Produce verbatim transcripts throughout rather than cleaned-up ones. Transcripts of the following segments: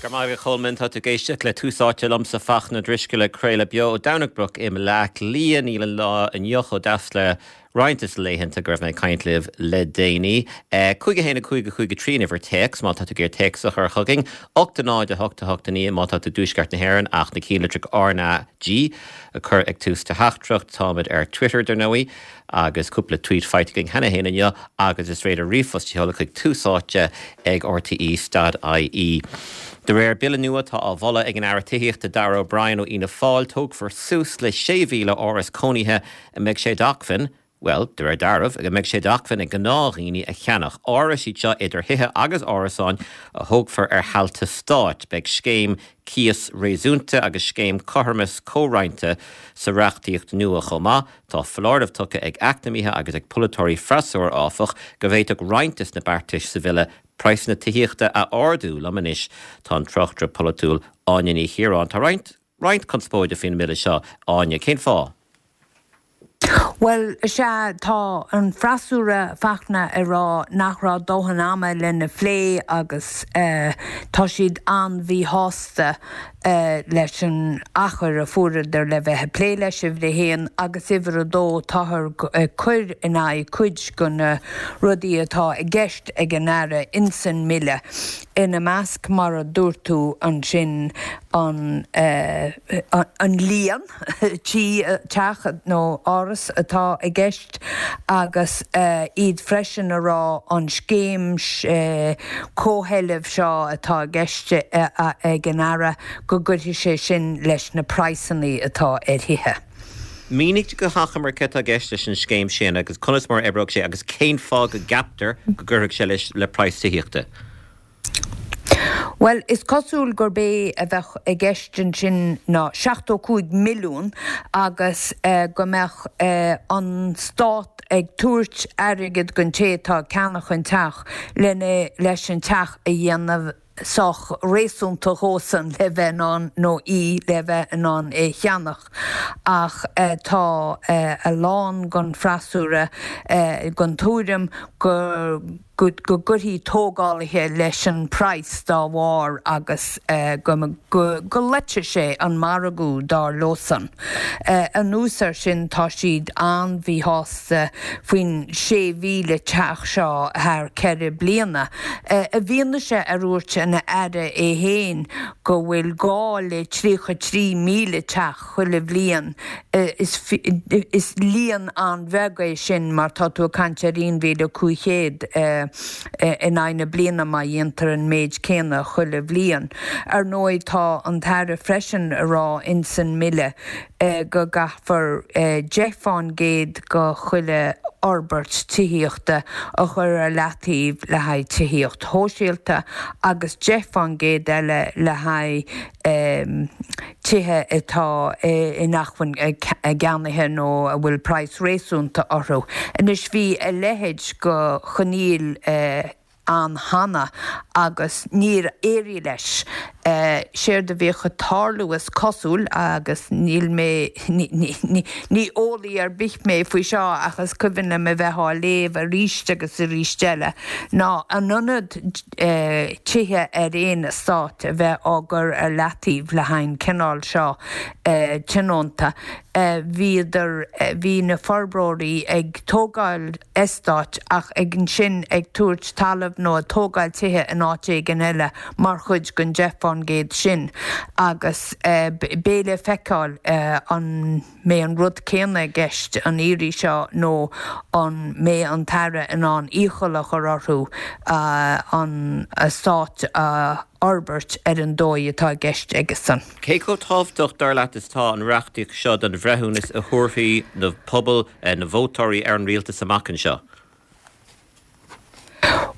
Go raibh maith agat, a Cholmáin. Tá tú ag éisteacht le Tús Áite liomsa, Fachtna Drisceoil, ag craoladh beo ó Domhnach Broc i mBleá Cliath. Níl an lá inniu chomh deas le roinnt de na laethanta go raibh mé ag caint libh le déanaí. Cúig a haon a cúig a cúig a trí an uimhir téacs má tá tú ag iarraidh téacs a chur chugainn, ocht a náid a hocht a hocht a naoi má tá tú i dtuaisceart na hÉireann ach na ceannlitreacha R N G a chur ag tús do theachtaireacht. Táimid ar Twitter dar ndóigh agus cúpla tweet faighte againn cheana féin inniu agus is féidir ríomhphost a sheoladh chuig tús áite ag R T E dot I E. De réir bille nua atá á mholadh ag an Aire Tithíochta Darragh O'Brien ó Fhianna Fáil, tógfar suas le sé mhíle áras cónaithe a mbeidh sé d'acmhainn, well, de réir dealraimh, go mbeidh sé d'acmhainn ag gnáthdhaoine a cheannach. Árais iad seo idir thithe agus árasáin a thógfar ar thailte stáit. Beidh scéim cíos réasúnta agus scéim cothromas comhroinnte sa reachtaíocht nua chomh maith. Tá foláireamh tugtha ag eacnamaithe agus ag polaiteoirí freasúra, áfach, go bhféadfadh roinnt de na beartais sa bhille praghsanna tithíochta a ardú. Liom anois tá an tráchtaire polaitiúil Áine Ní Chiaráin. Tá roinnt roinnt conspóide faoin mbille seo, Áine, cén fáth? Well, sea, tá an freasúra, Fachtna, ag rá nach raibh dóthain ama lena phlé agus tá siad an-mhíshásta leis an achar a fuaireadar le bheith ag plé leis, uimhir a haon, agus uimhir a dó, táthar ag cur in aghaidh cuid de na rudaí atá i gceist ag an Aire insan mbille, ina measc, mar a dúirt tú ansin, an an líon tí, teach nó áras atá i gceist agus iad freisin a rá an scéim comhsheilbh seo atá i gceist ag an Aire go gcuirfidh sé sin leis na praghsanna atá ar thithe. Mínigh go hachomair cé atá i gceist leis an scéim sin agus conas mar a oibreoidh sé agus cén fáth go gceaptar go gcuirfidh sé leis le praghas tithíochta. Bhuel, is cosúil gurb é a bheadh i gceist ansin ná seachtó cúig milliún agus go mbeadh an stát ag tabhairt airgead don té atá ag ceannach an teach lena leis an teach a dhéanamh sách réasúnta dhósan le bheith in ann nó í le bheith in ann é cheannach. Ach tá a lán den freasúra den tuairim go go gcuirfidh tógálaithe leis an praghas dá bharr agus go go loitfidh sé an margadh, dar leosan. Anuas air sin, tá siad an-mhíshásta faoin sé mhíle teach seo thar ceithre bliana, i bhfianaise ar dhúirt an Aire é féin go bhfuil gá le tríocha trí míle teach chuile bhliain. Is líon an-bheag é sin mar tá tú ag caint ar aon mhíle cúig chéad in aghaidh na bliana má dhéantar an méid céanna chuile bhliain. Ar ndóigh, tá an tAire freisin a rá insan mbille go gcaithfear deich fán gcéad de chuile fhorbairt tithíochta a chur ar leataobh le haghaidh tithíocht shóisialta agus deich fán gcéad eile le haghaidh tithe atá in acmhainn a gceannaithe nó a bhfuil praghas réasúnta orthu. Anois, bhí a leithéid de choinníoll ann cheana agus níor éirigh leis. Séard a bhíodh ag tarlú, is cosúil, agus níl mé, ní eolaí ar bith mé faoi seo ach is cuimhin liom a bheith á léamh arís agus arís eile, ná in ionad tithe ar aon eastát a bheith á gcur ar leataobh le haghaidh an cineál seo tionónta, bhíodar, bhí na forbróirí ag tógáil eastáit ach ag ansin ag tabhairt talamh nó ag tógáil tithe in áit éigin eile mar chuid den deich fán gcéad sin agus beidh le feiceáil an mbeidh an rud céanna i gceist an iarraidh seo nó an mbeidh an tAire in ann iachall a chur orthu an eastát a fhorbairt ar an dóigh atá i gceist aigesan. Cé chomh tábhachtach, dar leat, is atá an reachtaíocht seo don bhreithiúnas a thabharfaidh na pobail, na vótóirí ar an rialtas amach anseo?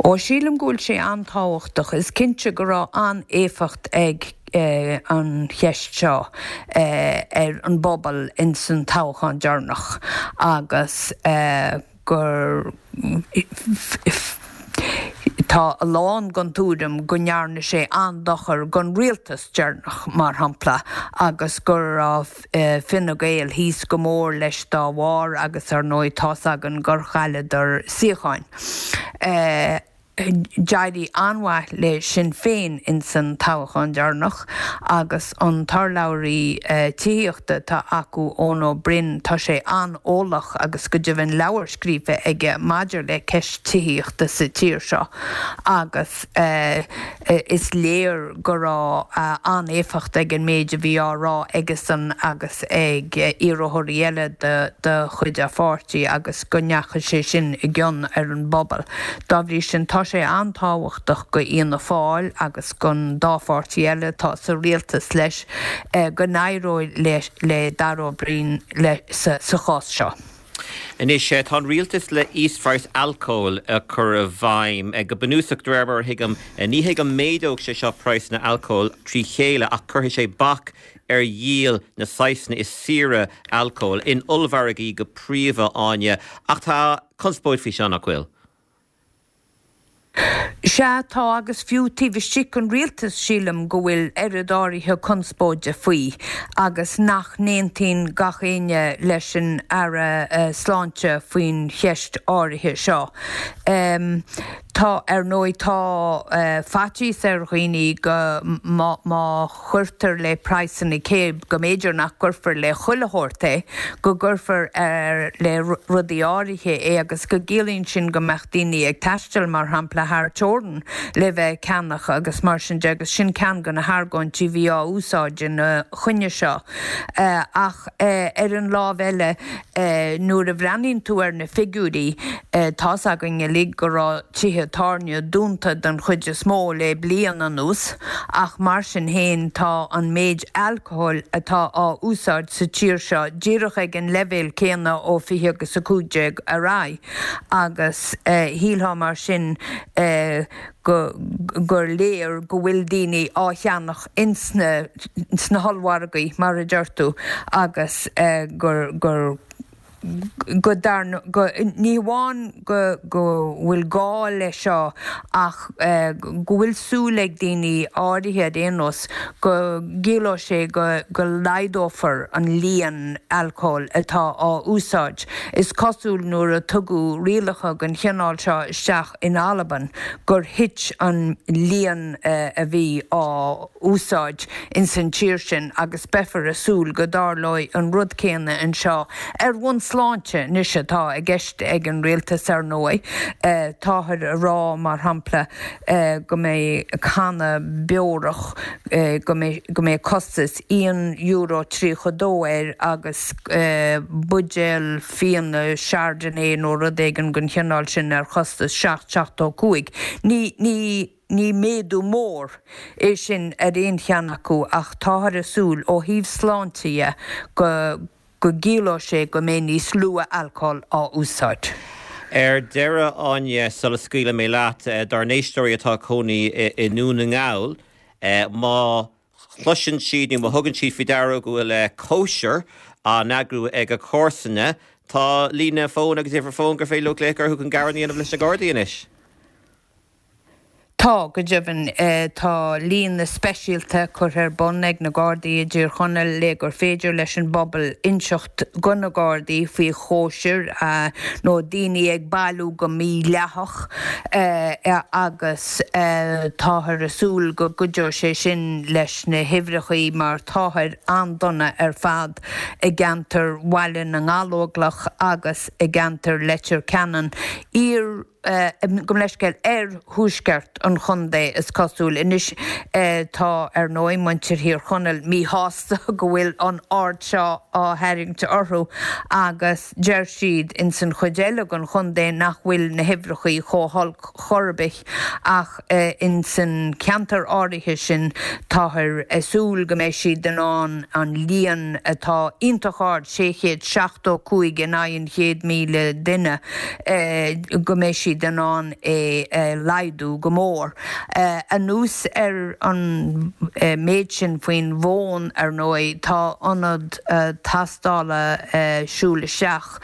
Ó, sílim go bhfuil sé an-tábhachtach. Is cinnte go raibh an-éifeacht ag an cheist seo ar an bpobal ins an toghchán deireanach agus gur tá a lán den tuairim go ndearna sé an-dochar don rialtas deireanach, mar shampla, agus go raibh Fine Gael thíos go mór leis dá bharr agus ar ndóigh tá's againn gur chailleadar suíocháin. D'éirigh an-mhaith le Sinn Féin ins an toghchán deireanach agus an t-urlabhraí tithíochta atá acu, Eoin Ó Broin, tá sé an-eolach agus go deimhin leabhar scríofa aige maidir le ceist tithíochta sa tír seo agus is léir go raibh an-éifeacht ag an méid a bhí á rá aigesan agus ag iarrthóirí eile de chuid a pháirtí agus go ndeachaigh sé sin i gcion ar an bpobal. Dá bhrí sin tá sé an-tábhachtach go Fhianna Fáil agus gon dá pháirtí eile atá sa rialtas leis go n-éireoidh le Darragh O'Brien sa chás seo. Anois, tá an rialtas le íosphraghas alcóil a chur i bhfeidhm. Go bunúsach, de réir mar a thuigim, ní hé go méadódh sé seo praghsanna alcóil trí chéile ach cuirfidh sé bac ar dhíol na saghsanna is saoire alcóil, in ollmhargaí go príomha, Áine. Ach tá conspóid faoi seo, nach bhfuil? Sea, tá, agus fiú taobh istigh den rialtas sílim go bhfuil oiread áirithe conspóide faoi agus nach n-aontaíonn gach éinne leis an Aire Sláinte faoin cheist áirithe seo. Tá, ar ndóigh, tá faitíos ar dhaoine go má chuirtear le praghsanna cé go mb'fhéidir nach gcuirfear le chuile shórt é, go gcuirfear le rudaí áirithe é agus go gciallaíonn sin go mbeadh daoine ag taisteal, mar shampla, thar teorainn le bheith ag ceannach agus mar sin de agus sin ceann de na hargóintí a bhí á úsáid ina choinne seo. Ach ar an lámh eile, nuair a bhreathnaíonn tú ar na figiúirí, tá's againn uilig go raibh tithe tábhairne dúnta den chuid is mó le bliain anuas ach mar sin féin tá an méid alcóil atá á úsáid sa tír seo díreach ag an leibhéal céanna ó fiche agus a cúig déag ar aghaidh agus shílfeá mar sin go gur léir go bhfuil daoine á cheannach ins na sna hollmhargaí mar a deir tú agus gur gur go dar go ní hamháin go go bhfuil gá leis seo ach go bhfuil súil ag daoine áirithe ar aon nós go gciallóidh sé go go laghdófar an líon alcóil atá á úsáid. Is cosúil nuair a tugadh rialacha den chineál seo isteach in Albain gur thit an líon a bhí á úsáid ins an tír sin agus beifear ag súil go dtarlóidh an rud céanna anseo ar bhonn sláinte anois atá i gceist ag an rialtas ar ndóigh. Táthar a rá mar shampla go mbeidh canna beorach go mbeidh go mbeidh costas aon euro tríocha dó air agus buidéal fíona Chardonnay nó rud éigin den chineál sin ar chostas seacht seachtó cúig. Ní ní ní méadú mór é sin ar aon cheann acu ach táthar ag súil ó thaobh sláinte dhe go go gciallóidh sé go mbeidh níos lú alcóil á úsáid. Ar deireadh, Áine, sula scaoilfidh mé leat, dár n-éisteoirí atá ag cónaí i nDún na nGall, má chloiseann siad nó má thugann siad faoi deara go bhfuil cóisir á n-eagrú ag a comharsana, tá líne fóin agus uimhir fóin gur féidir leo glaoch orthu chun gearán a dhéanamh leis na Gardaí anois. Tá, go deimhin. Tá líne speisialta curtha ar bun ag na Gardaí i dTír Chonaill le gur féidir leis an bpobal inseacht go na Gardaí faoi chóisir nó daoine ag bailiú go mídhleathach agus táthar ag súil go gcuideoidh sé sin leis na huimhreachaí mar táthar an-dona ar fad i gceantar Bhaile na nGallóglach agus i gceantar Leitir Ceanainn. Iar. Gabh mo leithscéal, oirthuaisceart an chontae, is cosúil. Anois tá, ar ndóigh, muintir Thír Chonaill míshásta go bhfuil an aird seo á tharraingt orthu agus deir siad ins an chuid eile den chontae nach bhfuil na huimhreachaí chomh holc chor ar bith ach ins an ceantar áirithe sin táthar ag súil go mbeidh siad in ann an líon atá iontach ard, sé chéad seachtó cúig in aghaidh an chéad míle duine, go mbeidh siad in ann é a laghdú go mór. Anuas ar an méid sin faoin bhfón, ar ndóigh, tá ionad tástála siúl isteach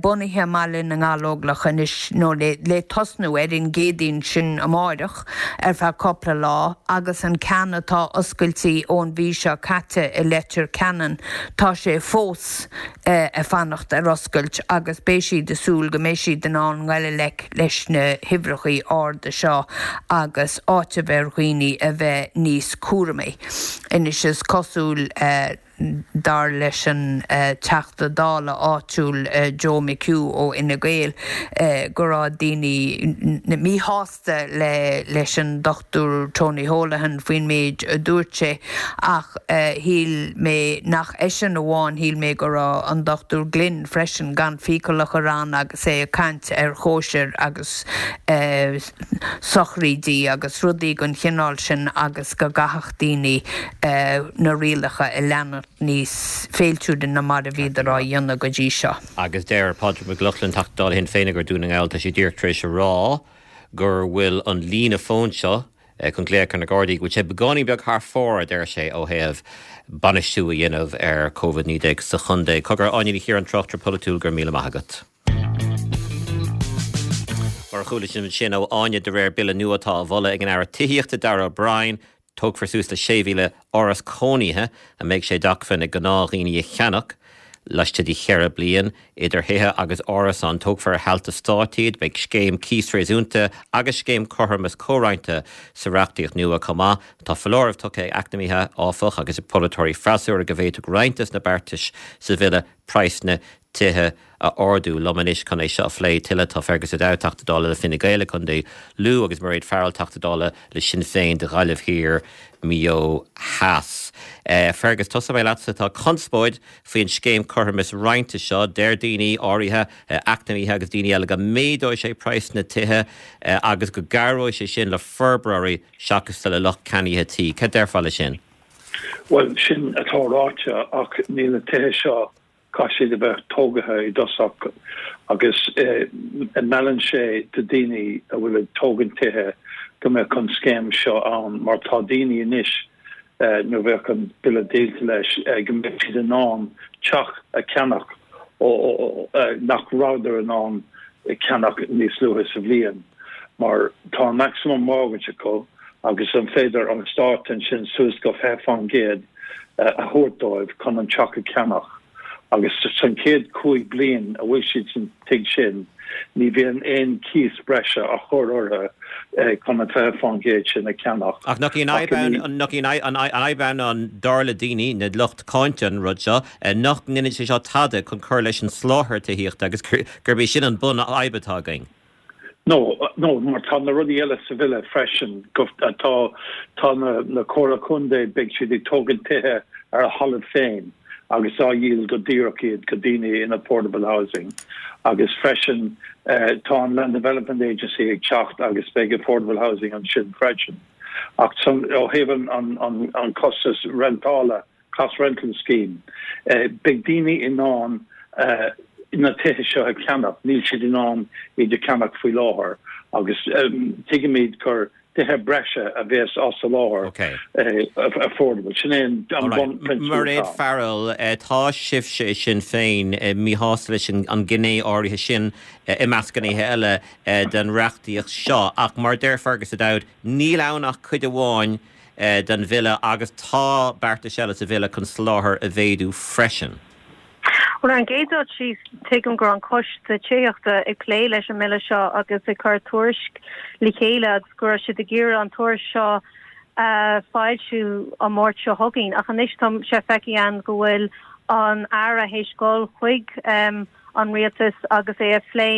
bunaithe i mBaile na nGallóglach anois, nó le tosnú ar an gCéadaoin sin amáireach ar feadh cupla lá, agus an ceann atá oscailte ón mhí seo caite i Leitir Ceanainn, tá sé fós ag fanacht ar oscailt agus beidh siad ag súil go mbeidh siad in ann dul i ngleic leis na huimhreacha arda seo agus áiteamh ar dhaoine a bheith níos cúramaí. Anois is cosúil uh, dar leis an uh, Teachta Dála áitiúil uh, Joe McHugh ó Fhine Gael uh, go raibh daoine míshásta le leis an Dr Tony Holohan faoin méid a dúirt sé ach uh, shíl mé nach eisean amháin shíl mé go raibh an Dr Glynn freisin gan fiacail a chur ann agus é ag caint ar chóisir agus uh, sochraidí agus rudaí den chineál sin agus go gcaithfeadh daoine uh, na rialacha a leanacht níos féiltiúda ná mar a bhíodar á dhéanamh go dtí seo. Agus deir Padraig Mac Lochlainn Teachta Dála Shinn Féin gur Dún na nGall tá sé díreach tar éis a rá gur bhfuil an líne fón seo chun glaoch ar na Gardaí, go bhfuil sé beagáinín beag thar fóir a deir sé ó thaobh bainistiú a dhéanamh ar Covid naoi déag sa chontae. Cogar Áine Ní Chiaráin tráchtaire polaitiúil go raibh míle maith agat. Mar chuala sin sin ó Áine de réir bille nua atá á mholadh ag an Aire Tithíochta Darragh O'Brien, tógfar suas le sé mhíle áras cónaithe a mbeidh sé d'acmhainn ag gnáthdhaoine a cheannach laistigh de cheithre bliain idir thithe agus árasáin tógfar ar thailte stáit iad, beidh scéim cíos réasúnta agus scéim cothromas comhroinnte sa reachtaíocht nua chomh maith. Tá foláireamh tugtha ag eacnamaithe áfach agus ag polaiteoirí freasúra go bhféadfadh roinnt de na beartais sa bhille praghsanna tithe a ardú liom anois chun é seo a phlé tuilleadh tá Fergus O'Dowd Teachta Dála le Fine Gael i gContae Lú agus Mairéad Farrell Teachta Dála le Sinn Féin do Ghaillimh Thiar Maigh Eo Theas. Uh, Fergus tosóidh mé leatsa tá conspóid faoin scéim cothromas roinnte seo deir daoine áirithe uh, eacnamaithe agus daoine eile go méadóidh sé praghas na tithe uh, agus go gcabhróidh sé sin le forbróirí seachas le lucht ceannaithe tí. Cad déarfá le sin? Well sin atá ráite ach níl na tithe seo caithfidh siad a bheith tógtha i dtosach agus meallann sé do daoine a bhfuil ag tógaint tithe go mbeadh an scéim seo ann mar tá daoine anois nuair bheadh an bille déanta leis go mbeidh siad in ann teach a cheannach nach rabhadar in ann ceannach níos luaithe sa bhliain mar tá an maximum mortgage acu agus an féidir an stát ansin suas go fiche faoin gcéad a thabhairt dóibh chun an teach a cheannach. agus san chéad cúig bliain a bhfuil siad san tigh sin ní bhíonn aon cíos breise á chur orthu chun an fiche faoin gcéad sin a cheannach. Ach nach í an fhadhb ann dar le daoine na lucht cáinte an rud seo nach ndéanann sé seo tada chun cur leis an soláthar tithíochta agus gurb é sin an bunfhadhb atá againn. No, no, mar tá na rudaí eile sa bhille freisin tá tá na, na comhairlí contae beidh siad ag tógaint tithe ar a thalamh féin agus á dhíol go díreach iad go daoine in affordable housing. Agus freisin uh, tá an Land Development Agency ag teacht agus beidh affordable housing ansin freisin. Ach ó thaobh an, an, an costas rentála cost rental scheme. Uh, beidh daoine in ann uh, na tithe seo a cheannach, níl siad in ann iad a cheannach faoi láthair agus um, tuigimid gur tithe breise a bheas á soláthar okay. uh, affordable. Sin é an Mairéad Farrell tá sibhse Sinn Féin míshásta leis an ghné áirithe sin i measc gnéithe eile den reachtaíocht seo ach mar deir Fergus O'Dowd níl ann ach cuid amháin den bhille agus tá beartais eile sa bhille chun soláthar a mhéadú freisin. Well an gcéad rud síos tuigim gur an coiste tithíochta ag plé leis an mbille seo agus ag cur tuairisc le chéile agus go raibh siad ag iarraidh an tuairisc seo a fhoilsiú an Máirt seo chugainn ach anois tá sé feicthe againn go bhfuil an Aire théis dul chuig um, an rialtas agus é a phlé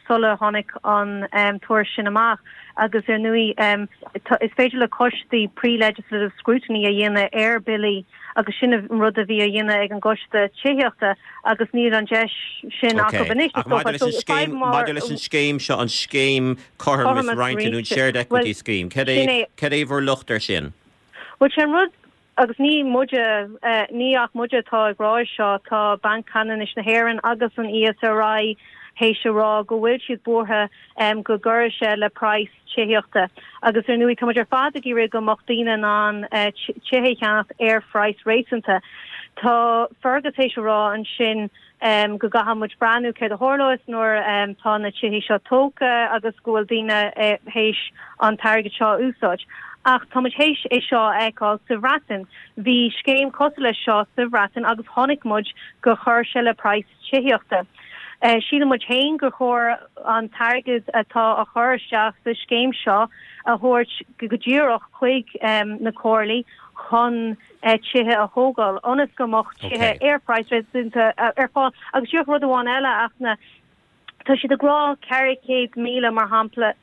sula tháinig an um, tuairisc sin amach agus ar ndóigh um, is féidir le coistí pre-legislative scrutiny a dhéanamh ar billí agus sin an rud a bhí á dhéanamh ag an gcoiste tithíochta agus níl an deis sin acu anois. Maidir leis an scéim seo an scéim cothromas roinnte nó shared equity scheme. Cad é bhur locht air sin? Well sin rud agus ní muide uh, ní ach muide atá ag rá seo tá Banc Ceannais na hÉireann agus an ESRI théis a rá go bhfuil siad buartha um, go gcuirfidh sé le praghas tithíochta. Agus ar ndóigh tá ar fad ag iarraidh go mbeadh daoine in ann uh, tithe a cheannach ar phraghas réasúnta. Tá Fergus théis a rá ansin um, go gcaithfidh muid breathnú céard a tharlós nuair um, tá na tithe seo tógtha agus go bhfuil daoine uh, théis an t-airgead seo a úsáid. Ach tá muid théis é seo a fheiceáil sa Bhreatain. Bhí scéim cosúil leis seo sa Bhreatain agus chonaic muid gur chuir sé le praghas tithíochta. Síleann muid féin gur chóir an t-airgead atá á chur isteach sa scéim seo a thabhairt go díreach chuig na comhairlí chun tithe a thógáil ionas go mbeadh tithe ar phraghas réasúnta ar fáil. Agus díreach rud amháin eile ach na tá siad ag rá ceithre chéad míle mar shampla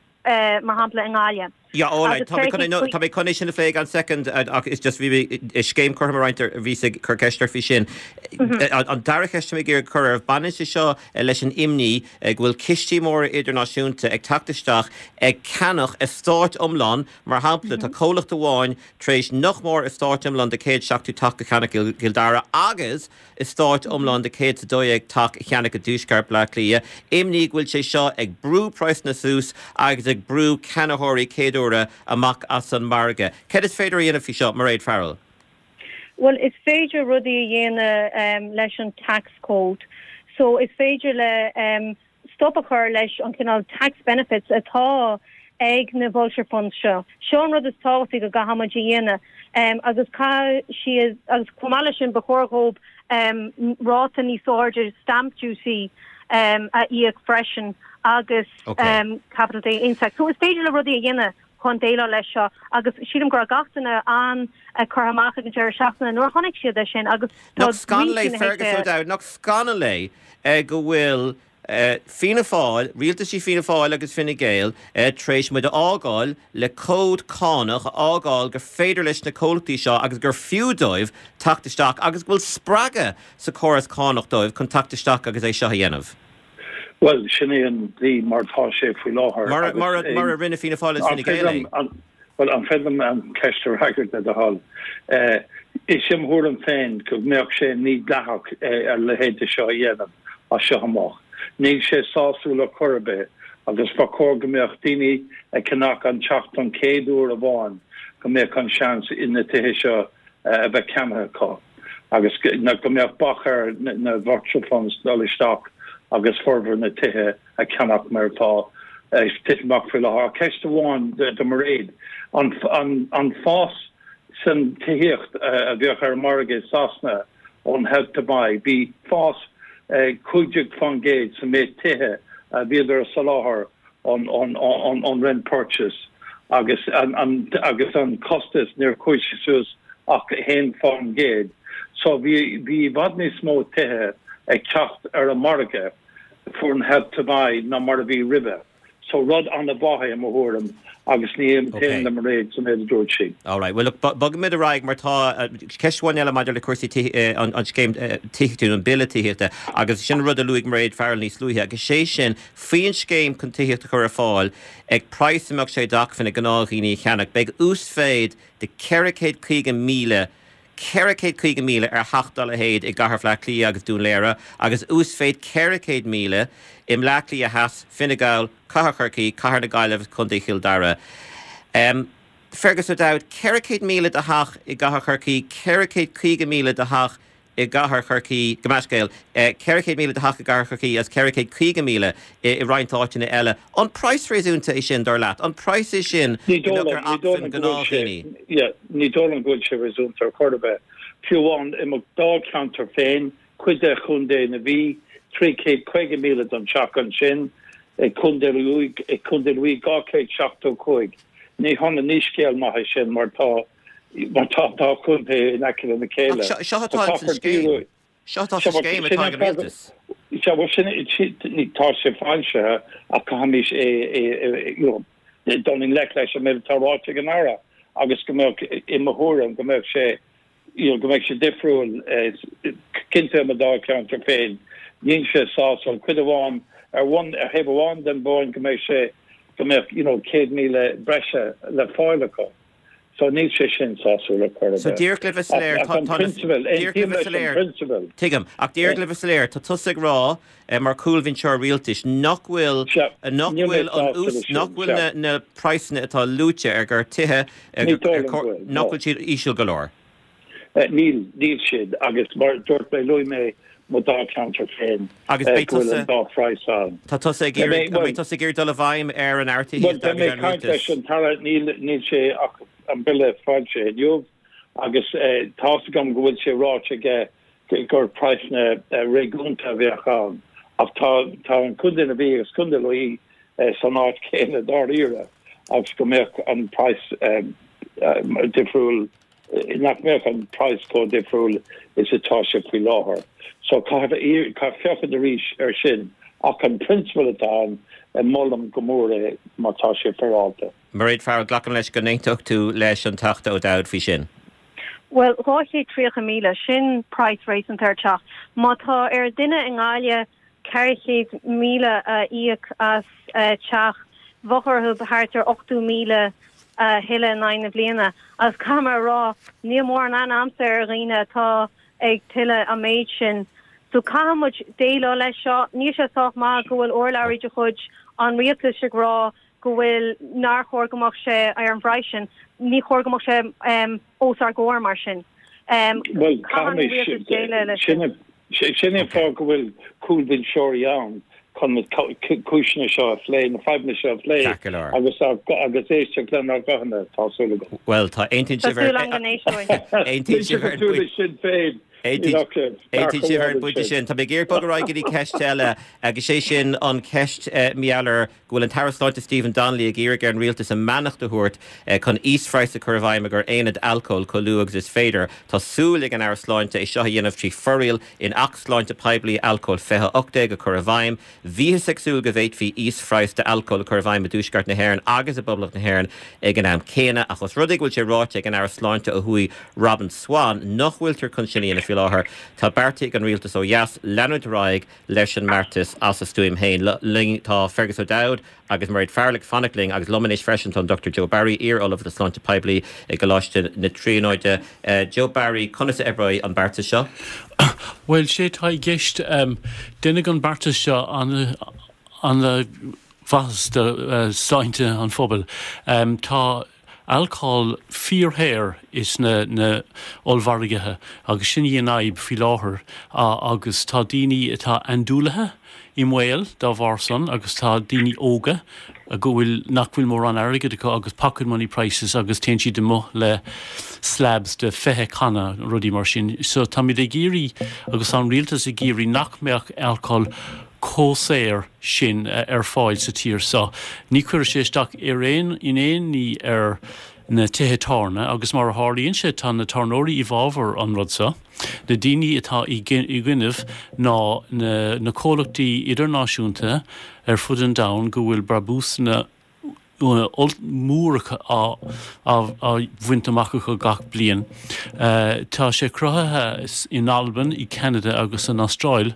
mar shampla i nGaillimh. Yeah, all right. Tá mé chun é, tá mé chun é sin a phlé gan soicind ach is just bhí mé scéim cothrom a roinnt bhíos ag cur ceist ort faoi sin. An dara ceist tá mé ag iarraidh cur oraibh, baineann sé seo leis an imní go bhfuil cistí móra idirnáisiúnta ag teacht isteach ag ceannach eastáit iomlán, mar shampla tá comhlacht amháin tar éis nach mór eastát iomlán de céad seachtó teach a cheannach i gCill Dara agus eastát iomlán de céad is a dó dhéag teach a cheannach i dtuaisceart Bhaile Átha Cliath. Imní go bhfuil sé seo ag brú praghsanna suas agus ag brú ceannaitheoirí céaduaire amach as an margadh. Céard is féidir a dhéanamh faoi seo, Mairéad Farrell? Bhuel, is féidir rudaí a dhéanamh leis an tax code. So is féidir le stop a chur leis an cineál tax benefits atá ag na vulture funds seo. Seo an rud is tábhachtaí go gcaithfidh muid a dhéanamh agus caithfidh siad agus chomh maith leis sin ba chóir dhóibh ráta níos airde stamp duty a íoc freisin agus capital gains tax. So is féidir le rudaí a dhéanamh chun déileáil leis seo agus sílim go raibh gach duine an-curtha amach ag an deireadh seachtaine nuair a chonaic siad é sin agus Nach scannal é Fergus O'Dowd, nach scannal é go bhfuil Fianna Fáil, rialtaisí Fianna Fáil agus Fine Gael tar éis muid a fhágáil le cód cánach a fhágáil gur féidir leis na comhlachtaí seo agus gur fiú dóibh teacht isteach agus go bhfuil spreagadh sa chóras cánach dóibh chun teacht isteach agus é seo a dhéanamh. Bhuel, sin é an dlí mar atá sé faoi láthair. Mar mar a rinne Fianna Fáil is Fine Gael é. Bhuel, an féidir liom an ceist a fhreagairt le do thoil? Is é mo thuairim féin go mbeadh sé mídhleathach a leithéid de seo a dhéanamh as seo amach. Níl sé sásúil ar chor ar bith agus ba chóir go mbeadh daoine ag ceannach an teach don chéad uair amháin go mbeadh an seans na tithe seo a bheith ceannaithe acu agus go mbeadh bac ar na vulture funds dul isteach agus formhór na tithe a cheannach mar atá ag titim amach faoi láthair. Ceist amháin do Mairéad, an fás san tithíocht a bheadh ar an margadh i Sasana ón Help to Buy, bhí fás cúig déag faoin gcéad sa méid tithe a bhíodar a soláthar ón Rent Purchase agus agus an costas níor chuaigh sé suas ach haon faoin gcéad. So bhí bhí i bhfad níos mó tithe ag teacht ar an margadh faoin Help to Buy ná mar a bhí roimhe. So rud an-mhaith é i mo thuairim agus ní aontaím le Mairéad sa méid a dúirt sí. All right, well look, bogfaimid ar aghaidh mar tá ceist amháin eile maidir le cúrsaí an scéim tithíochta, an bille tithíochta agus sin rud a luaigh Mairéad Farrell níos luaithe agus sé sin faoin scéim chun tithíocht a chur ar fáil ag praghas a mbeadh sé d'acmhainn ag gnáthdhaoine a cheannach, beidh uasmhéid de ceithre chéad caoga míle ceithre chéad caoga míle ar theach dá leithéid i gCathair Bhaile Átha Cliath agus Dún Laoghaire agus uasmhéid ceithre chéad míle i mBleá Cliath Theas, Fine Gall, Cathair Chorcaí, Cathair na Gaillimhe, Contae Chill Dara. Fergus O'Dowd, ceithre chéad míle do theach i gCathair Chorcaí, ceithre chéad caoga míle do theach i gCathair Chorcaí, gabh mo leithscéal, ceithre chéad míle do theach i gCathair Chorcaí agus ceithre chéad caoga míle i roinnt áiteanna eile. An praghas réasúnta é sin, dar leat? An praghas é sin go mbeadh ar acmhainn gnáthdhaoine? Ní dóigh liom go bhfuil sé réasúnta ar chor ar bith. Fiú amháin i mo dháilcheantar féin, cuid de Chontae na Mí, trí chéad caoga míle don teach ansin, i gContae na Mí dhá chéad seachtó cúig. Ní hionann, ní scéal maith é sin mar tá Mar tá an dá chontae in aice lena chéile. Ach seo atá sa scéim. Seo atá sa scéim atá ag an rialtas. Sea, bhuel sin, tá sé foilsithe ach caithfimid é, you know, dul i ngleic leis an méid atá ráite ag an Aire agus go mbeadh, i mo thuairim, go mbeadh sé, you know, go mbeadh sé difriúil, cinnte i mo dháilcheantar féin. Níl sé sásúil. Cuid amháin, ar bhonn, ar thaobh amháin den bhonn go mbeadh sé, go mbeadh, you know, céad míle breise le fáil acu. So níl sé sin sásúil ar chor ar So bith. díreach le bheith soiléir, Ach tá an tá prionsabal, díreach le aontaím bheith leis an soiléir, prionsabal. tuigim, ach díreach le bheith soiléir, tá tusa ag rá mar chúlbhinseoir rialtais nach bhfuil Sea, nach níl mé bhfuil an sásta ús leis sin, nach bhfuil sea. na na praghsanna atá luaite ar gur tithe ar Ní gur dóigh ar liom cor go bhfuil, nach no. bhfuil siad íseal go leor. Níl, níl siad agus mar dúirt mé, luaigh mé mo dháilcheantar féin Agus beidh go bhfuil tusa an dá phraghas ann. Tá tusa ag Beidh mé, iarraidh, an bhuel, mbeidh tusa ag iarraidh dul i bhfeidhm ar an Aire bhuel, Tithíochta beidh agus mé ar ag an caint leis rialtas? an tAire, níl, níl sé ach an bille foilsithe inniu agus tá's agam go bhfuil sé ráite aige gur praghsanna réasúnta a bheadh ann Ach tá tá an Contae na Mí agus Contae Lú san áit céanna dáiríre agus go mbeadh an price um, uh, difriúil nach mbeadh an price chomh difriúil is atá sé faoi láthair. So caithfidh féachaint arís ar sin ach an prionsabal atá ann molaim go mór é má tá sé féaráilte. Mairéad Farrell glacaim leis go n-aontódh tú leis an Teachta O'Dowd faoi sin. Well dhá chéad tríocha míle sin price réasúnta ar teach. Má tá ar duine i nGaillimh ceithre chéad míle a íoc as teach bheadh orthu thart ar ochtó míle a thuilleamh in aghaidh na bliana. Agus caithfidh mé a rá níl mórán amanna ar dhaoine atá ag tuilleamh an méid sin. So caithfidh muid déileáil leis seo, níl sé sách maith go bhfuil urlabhraí de chuid an rialtais ag rá go bhfuil nár chóir go mbeadh sé ar an bpraghas sin, ní chóir go mbeadh sé um, os ár gcomhair mar sin. Um, well, sin sin an fáth go bhfuil cúlbhinseoirí ann chun na cúiseanna seo a phlé na fadhbanna seo a phlé agus agus éisteacht lenár nguthanna tá súil agam. Well tá aontaíonn sin féin. Aontaíonn sibh ar an bpointe sin Tá mé ag iarraidh bogadh ar aghaidh go dtí ceist eile agus sé sin an ceist maidir go bhfuil an tAire Sláinte Stephen Donnelly ag iarraidh ar an rialtas a mbeannacht a thabhairt chun íosphraghas a chur i bhfeidhm ar aonaid alcóil chomh luath agus is féidir. Tá súil ag an Aire Sláinte é seo a dhéanamh trí fhoráil in Acht Sláinte Poiblí Alcóil fiche ocht déag a chur i bhfeidhm. Bhíothas ag súil go bhféadfaí íosphraghas d'alcól a chur i bhfeidhm i dTuaisceart na hÉireann agus i bPoblacht na hÉireann ag an am céanna ach os rud é go bhfuil sé ráite ag an Aire Sláinte ó thuaidh Robin Swann nach bhfuiltear chun sin a dhéanamh faoi láthair. Tá beartaithe ag an rialtas ó dheas leanúint ar aghaidh leis an mbeartas as a stuaim féin. Linn tá Fergus O'Dowd agus Mairéad Farrell ag fanacht linn agus liom anois freisin tá an Dr Joe Barry iar-ollamh le sláinte poiblí i gColáiste na Tríonóide. Uh, Joe Barry conas a oibreoidh an beartas seo? Well sé tá i gceist um, déanfaidh an beartas seo an an mhaitheas do uh, sláinte an phobail. Um, tá alcól fíorshaor is na na ollmhargaithe agus sin í an fhadhb faoi láthair agus tá daoine atá andúilithe i mbaol dá bharr san agus tá daoine óga a go bhfuil nach bhfuil mórán airgid acu agus pocket money prices agus téann siad amach le slabs de fiche canna rudaí mar sin. So táimid ag iarraidh agus an rialtas ag iarraidh nach mbeadh alcól chomh saor sin ar fáil sa tír seo. Ní chuirfidh sé isteach ar aon in aon ní ar na tithe tábhairne agus mar a tharlaíonn sé tá na tábhairneoirí i bhfabhar an rud seo. Na daoine atá i gcoinne ná na, na comhlachtaí idirnáisiúnta ar fud an domhain go bhfuil brabúsanna móra á á bhaint amach acu gach bliain. Tá sé cruthaithe in Albain, i Canada agus san Astráil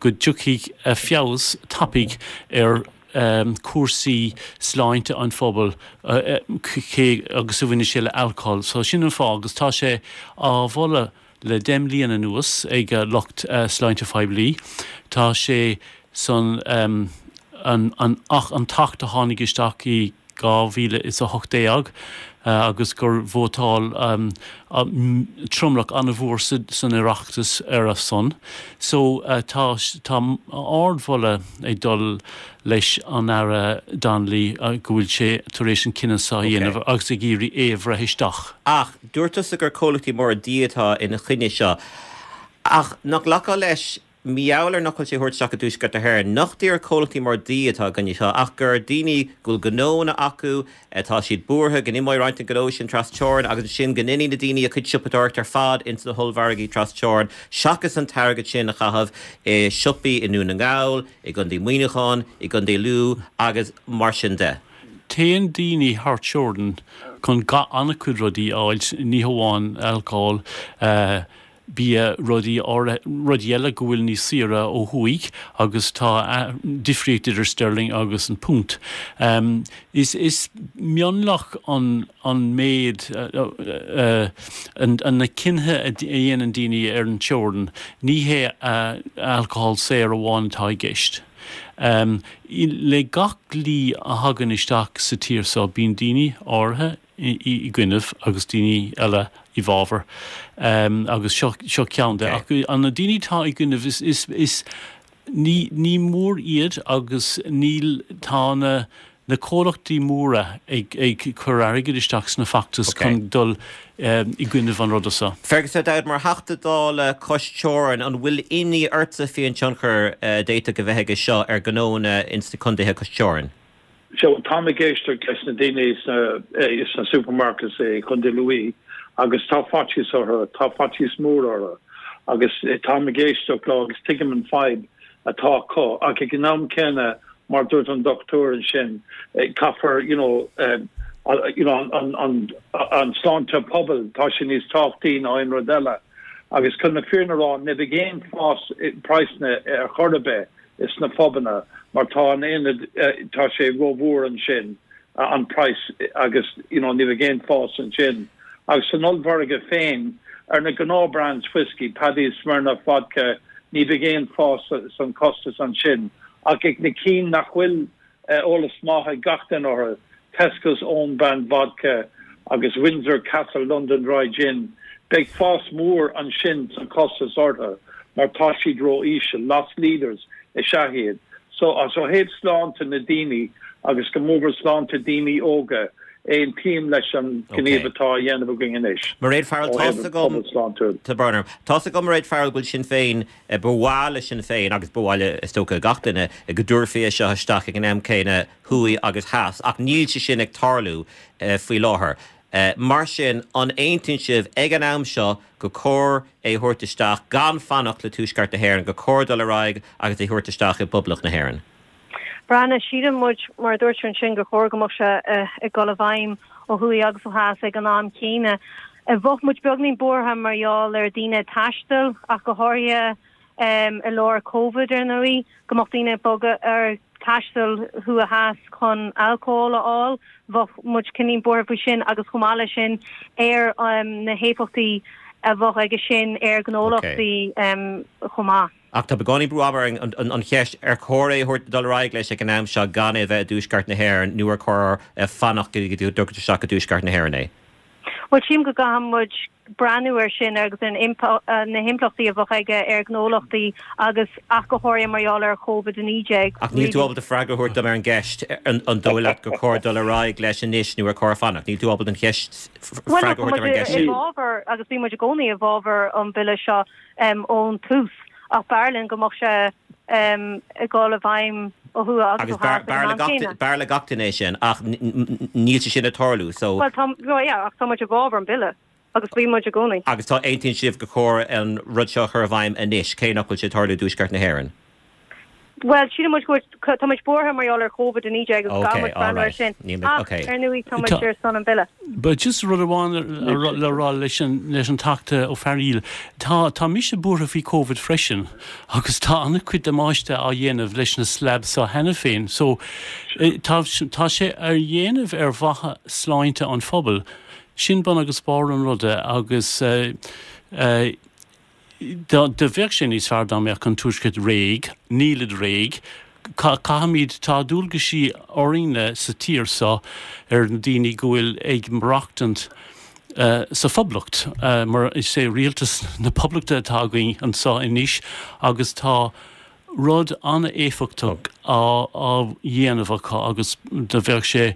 go dtiocfaidh feabhas tapaidh ar um, cúrsaí sláinte an phobail uh, cé agus a bhaineann sé le alcól. So sin an fáth agus tá sé á mholadh le deich mbliana anuas ag uh, lucht uh, sláinte phoiblí. Tá sé san um, an, an, ach an tAcht a tháinig isteach i dhá mhíle is a hocht déag uh, agus gur vótáil um, um, tromlach an-mhór san Oireachtas ar a son. So uh, tá tá ardmholadh ag dul leis an Aire Donnelly uh, go bhfuil sé tar éis an cinneadh seo a dhéanamh agus ag iarraidh é a bhreith isteach. Ach dúirt tusa gur comhlachtaí móra dí atá ina choinne seo. Ach nach nglacfá leis mar gheall ar nach bhfuil sé thabhairt isteach i dTuaisceart na hÉireann, nach díreach comhlachtaí móra dí atá i gcoinne seo, ach gur daoine go bhfuil gnónna acu atá siad buartha go n-imeoidh roinnt den ghnó sin trasteorann agus sin go ndéanfaidh na daoine a gcuid siopadóireacht ar fad ins na hollmhargaí trasteorann, seachas an t-airgead sin a chaitheamh i siopaí i nDún na nGall, i gContae Mhuineacháin, i gContae Lú agus mar sin de. Téann daoine thar teorainn chun ga an-chuid rudaí a fháil ní hamháin alcól, uh, bia rudaí rudaí eile go bhfuil níos saoire ó thuaidh agus tá difríocht idir sterling agus an punt. Um, is, is mionlach an, an méid uh, uh, an, an na cinntí a dhéanann daoine ar an teorainn, ní hé uh, alcohol saor amháin atá i gceist. Um, le gach dlí a thagann isteach sa tír seo bíonn daoine áirithe i gcoinne agus daoine eile i bhfabhar um, agus seo, seo ceann de okay. an na daoine atá i gcoinne is, is, is ní, ní mór iad agus níl tá na na comhlachtaí móra ag ag cur airgid isteach sna feachtais chun dul i gcoinnibh an ruda seo. Fergus O'Dowd, mar Theachta Dála cois teorann, an bhfuil imní ortsa faoin tionchar a d'fhéadfadh a bheith aige seo ar ghnónna ins na contaetha cois teorann? So táim ag éisteacht leis na daoine sna sna supermarkets i Contae Lú agus tá faitíos orthu, tá faitíos mór orthu agus táim ag éisteacht leo agus tuigim an fadhb atá acu ach ag an am céanna mar dúirt an dochtúir ansin caithfear you know you know an an an sláinte pobail tá sé níos tábhachtaí ná aon rud eile agus chun na fírinne a rá ní bheidh aon fás praghsanna ar chor ar bith is na pubanna mar tá an aonad tá sé rómhór ansin an price agus you know ní bheidh aon fás ansin agus san ollmhargadh féin ar na gnáth brands whiskey Paddy's Smirnoff vodka ní bheidh aon fás san costas ansin ach ag na cinn nach bhfuil eolas maith ag gach duine orthu Tesco's own brand vodka agus Windsor Castle London Dry Gin beidh fás mór ansin san costas orthu mar tá siad ró-íseal loss leaders is ea iad. So as ó thaobh sláinte na daoine agus go mór mhór sláinte daoine óga, aontaím leis an gníomh atá á dhéanamh againn anois Mairéad Farrell, ó tá's thaobh an agam, pobal sláintiúil. Tá brón orm. Tá's agam Mairéad Farrell go bhfuil Sinn Féin, ba mhaith le Sinn Féin agus ba mhaith le is dócha gach duine go dtabharfaí é seo isteach ag an am céanna thuaidh agus theas ach níl sé sin ag tarlú faoi láthair. Mar sin, an aontaíonn sibh ag an am seo gur cóir é a thabhairt isteach gan fanacht le Tuaisceart na hÉireann, gur cóir dul ar aghaidh agus é a thabhairt isteach i bPoblacht na hÉireann? Breathnaigh, síleann muid, mar a dúirt tú ansin, gur chóir go mbeadh sé ag dul i bhfeidhm ó thuaidh agus ó theas ag an am céanna. Bheadh muid beagnín buartha mar gheall ar daoine ag taisteal, ach go háirithe i lár Covid, ar ndóigh, go mbeadh daoine ag bogadh ar taisteal thuaidh theas chun alcól a fháil. Bheadh muid cineál buartha faoi sin agus chomh maith leis sin ar na héifeachtaí a bheadh aige sin ar ghnólachtaí chomh maith. Ach tá beagáinín brú ama orainn an cheist ar chóir é a thabhairt dul ar aghaidh leis ag an am seo gan é a bheith i dTuaisceart na hÉireann nó ar chóir fanacht go dtí go dtugtar isteach i dTuaisceart na hÉireann é? Bhuel, sílim go gcaithfidh muid breathnú air sin agus ar na himpleachtaí a bheadh aige ar ghnólachtaí agus ach go háirithe mar gheall ar Covid a naoi déag. Ach níl tú ábalta freagra a thabhairt dom ar an gceist an dóigh leat gur chóir dul ar aghaidh leis anois nó ar chóir fanacht? Níl tú ábalta an cheist Bhuel, freagra a tá thabhairt muid dom ar an gceist i sin. bhfabhar agus bhí muid i gcónaí i bhfabhar an bhille seo ón tús ach b'fhearr linn go mbeadh sé ag dul i bhfeidhm ó thuaidh agus Agus ó theas ag an am céanna. b'fhearr le gach duine é sin ach níl sé sin ag tarlú so. Bhuel tá, yeah, ach tá muid i bhfabhar an bhille agus bhí muid i gcónaí. Agus tá, aontaíonn sibh gur chóir an rud seo a chur i bhfeidhm anois, cé nach bhfuil sé ag tarlú i dTuaisceart na hÉireann? Bhuel, síleann muid go bhfuil, tá muid buartha mar gheall ar Covid a naoi déag agus Ok, caithfidh muid breathnú air alright. sin. Níl mé, Ach, ok. ar ndóigh, tá muid Tá, ar son an bhille. But just rud amháin le rá leis an leis an Teachta Ó Fearghaíl, tá tá mise buartha faoi Covid freisin agus tá an-chuid damáiste á dhéanamh leis na slabs seo cheana féin. So tá tá sé á dhéanamh ar mhaithe sláinte an phobail. Sin bun agus barr an ruda agus eh, eh, Do bheadh sé níos fearr dá mbeadh an Tuaisceart réidh, nílid réidh, caithfimid, tá dualgaisí orainne sa tír seo ar na daoine go bhfuil ag maireachtaint sa Phoblacht, mar is é rialtas na Poblachta atá againn anseo anois agus tá rud an-éifeachtach á dhéanamh acu agus do bheadh sé,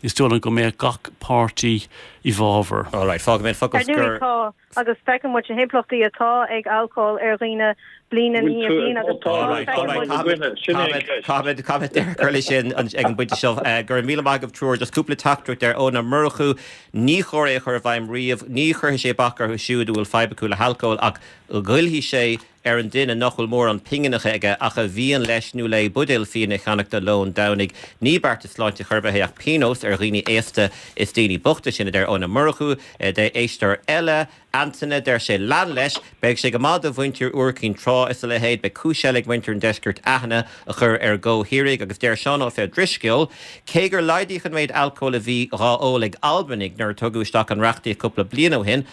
is dóigh liom go mbeadh gach páirtí i bhfabhar. All right, fágfaidh mé an focal Ar ndóigh scoir. tá, agus feiceann muid na himpleachtaí atá ag alcól ar dhaoine bliain i Bhfuil ndiaidh tú ag bliana agus vótáil All tá, right, all feiceann right, muid. i caithfimid, gcoinne? Sin é an caithfimid, cheist. caithfimid, caithfimid deireadh a chur leis sin ag an bpointe seo. Go raibh míle maith agaibh triúr. Just cúpla teachtaireacht ar Eoin Ó Murchú. Ní chóir é a chur i bhfeidhm riamh. Ní chuirfidh sé bac orthu siúd a bhfuil fadhb acu le halcól ach goillfidh sé ar an duine nach bhfuil mórán pingineacha aige ach a mhian leis nó léi buidéal fíona a cheannach do lón Domhnaigh. Ní beartas sláinte chor ar bith é ach pionós ar dhaoine aosta is daoine bochta, sin a deir Eoin Ó Murchú. Deir éisteoir eile, Antaine, deir sé, Lean leis, beidh sé go maith do mhuintir Iúr Cinn Trá is a leithéid, beidh cúis eile ag muintir an deiscirt aithne a chur ar a gcomhthírigh agus deir Seán Ó Drisceoil, cé gur laghdaíodh an méid alcóil a bhí dhá ól ag Albanaigh nuair a tugadh isteach an reachtaíocht cúpla bliain ó shin,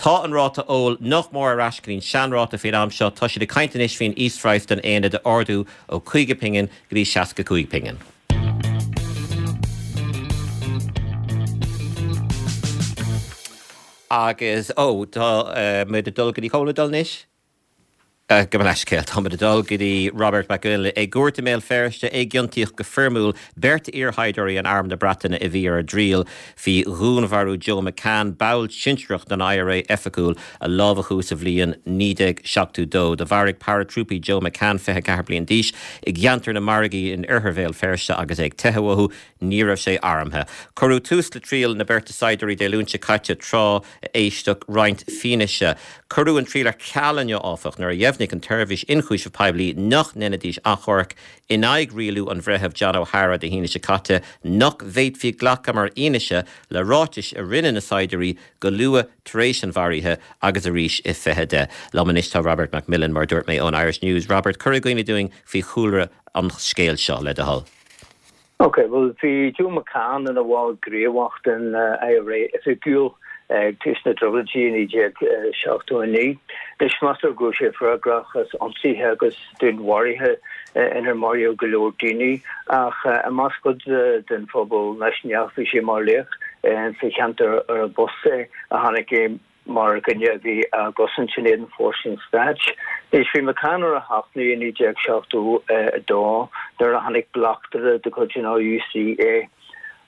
Tá an ráta óil nach mór ar ais go dtí an seanráta faoin am seo. Tá siad ag caint anois faoin íosphraghas don aonad a ardú ó caoga pingin go dtí seasca cúig pingin. Agus, ó, tá muid ag dul go dtí, cá bhfuil muid ag dul anois? Gabh mo leithscéal, táimid ag dul go dtí Robert Mac Uile. I gcúirt i mBéal Feirste a ciontaíodh go foirmiúil beirt iarshaighdiúirí in Arm na Breataine a bhí ar a dtriail faoi dhúnmharú Joe McCann, ball sinsearach den I R A oifigiúil a lámhachadh sa bhliain naoi déag seachtó dó. Do mharaigh paratrúpaí Joe McCann, fiche ceathair bliain d'aois, i gceantar na Margaí in oirthear Bhéal Feirste agus é ag teitheadh uathu. Ní raibh sé armtha. Cuireadh tús le triail na beirte saighdiúirí Dé Luain seo caite tráth a éisteadh roinnt fianaise. Cuireadh an triail ar ceal inniu, áfach, nuair a dheimhnigh an tSeirbhís Ionchúiseamh Poiblí nach ndéanfaidís achomharc in aghaidh rialú an Bhreithimh John O'Hara Dé hAoine seo caite nach bhféadfaí glacadh mar fhianaise le ráitis a rinne na saighdiúirí go luath tar éis an mharaithe agus arís i fiche deich. Liom anois tá Robert McMillen, mar dúirt mé, ón Irish News. Robert, cuir i gcuimhne dúinn faoi chúlra an scéil seo, le do thoil. Ok, well bhí Joe McCann ina bhall gníomhach den I R A oifigiúil ag tús na dTrioblóidí naoi déag seachtó a naoi. Anois meastar go raibh sé freagrach as ionsaithe agus dúnmharuithe inar maraíodh go leor daoine, ach i measc cuid den phobal náisiúnach bhí sé mar laoch sa cheantar ar b'as é a tháinig é mar dhuine a bhí á gcosaint in éadan fórsaí an stáit. Anois bhí McCann ar a thachtadh i naoi déag seachtó a dó nuair a chonaic bleachtaire de chuid an R U C é.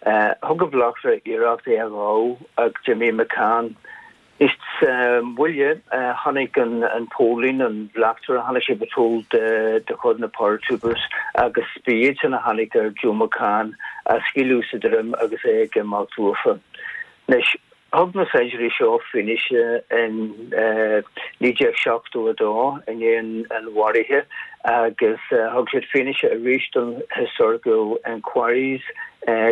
Thug an bleachtaire iarracht é a ghabháil ach d'imigh McCann. Anois sa bhaile chonaic an póilín an bleachtaire, chonaic sé patrol de de chuid na paratroopers agus ba iad sin a tháinig ar Joe McCann á scaoileadh sa droim agus é ag imeacht uafa. Anois thug na saighdiúirí seo fianaise in naoi déag seachtó a dó i ndiaidh an mharaithe agus thug siad fianaise arís don Historical Inquiries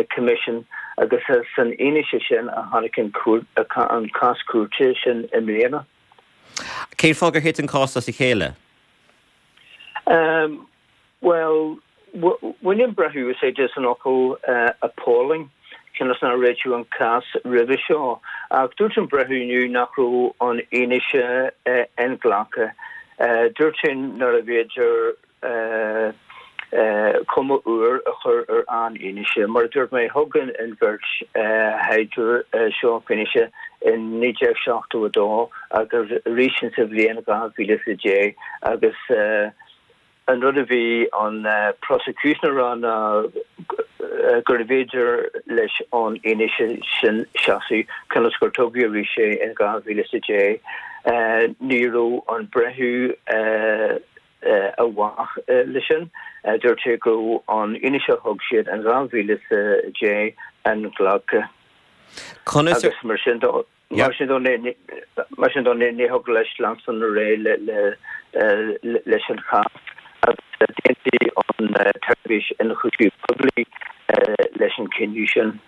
Commission agus san fhianaise sin a tháinig an an cás cúirte sin i mbliana. Cén fáth gur thit an cás as a chéile? Um, well, bhain an breitheamh úsáid as an fhocal uh, appalling cionn is nár réitíodh an cás roimhe seo, ach dúirt an breitheamh inniu nach raibh an fhianaise uh, inghlactha. Uh, dúirt sé nárbh fhéidir uh, uh, cuma úr a chur ar an fhianaise, mar dúirt mé thug an bheirt shaighdiúir uh, seo fianaise in naoi déag seachtó a dó agus arís sa bhliain dhá mhíle a deich agus uh, an rud a bhí an uh, prosecution a rá ná uh, gurbh fhéidir leis an fhianaise sin seasamh cionn is gur tugadh arís é in dhá mhíle a deich. Uh, ní raibh an breitheamh uh, uh, i bhfách uh, leis sin, uh, dúirt sé go an fhianaise thug siad an dhá mhíle a deich inghlactha. Conas Agus mar sin dó mar sin dó mar sin dó ní thig leis leanstan ar aghaidh le le leis an chás agus d'aontaigh an tSeirbhís Ionchúiseamh Poiblí leis an cinneadh sin.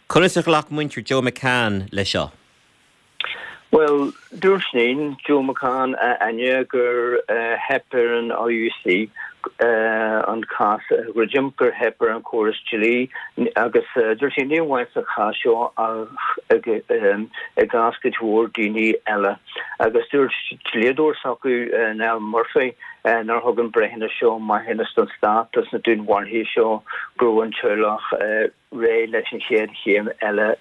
Conas a ghlac muintir Joe McCann le seo? Well, dúirt iníon Joe McCann Áine gur uh, theip ar an R U C uh, an cás druidim, gur theip ar an córas dlí agus uh, dúirt sí ní amháin sa chás seo ach um, i gcás go leor daoine eile. Agus dúirt dlíodóir s'acu uh, Niall Murphy uh, nár thug an breithiúnas seo maithiúnas don stát as na dúnmharuithe seo, go raibh an teaghlach uh, réidh leis an chéad chéim eile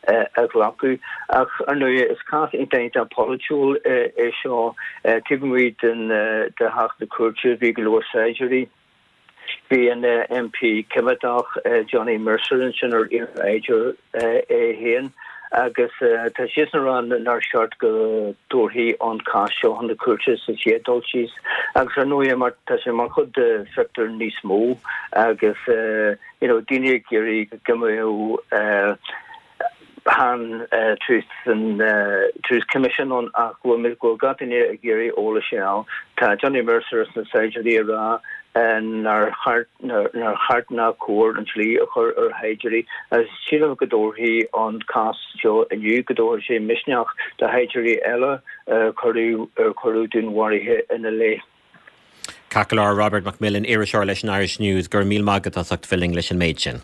a ghlacadh. Ach ar ndóigh is cás iontach polaitiúil é seo. Taobh amuigh den de theach na cúirte bhí go leor saighdiúirí. Bhí an M P coimeádach Johnny Mercer ansin, ar iarshaighdiúir é féin, agus tá siad ag rá nár cheart go dtabharfaí an cás seo chun na cúirte sa chéad dul síos. Agus ar ndóigh mar tá sé mar chuid de phictiúr níos mó agus you know, daoine ag iarraidh go mbeadh an uh, Truth and uh, Truth Commission ann ach go go gach duine ag iarraidh eolas ann. Tá Johnny Mercer na saighdiúirí ag rá nár cheart ná cóir an dlí a chur ar shaighdiúirí, agus sílim go dtabharfaidh an cás seo inniu go dtabharfaidh sé misneach do shaighdiúirí eile cuireadh cuireadh dúnmharuithe ina leith. Ceart Robert McMillen, iriseoir leis an Irish News, gur míle maith agat as ucht bheith linn leis an méid sin.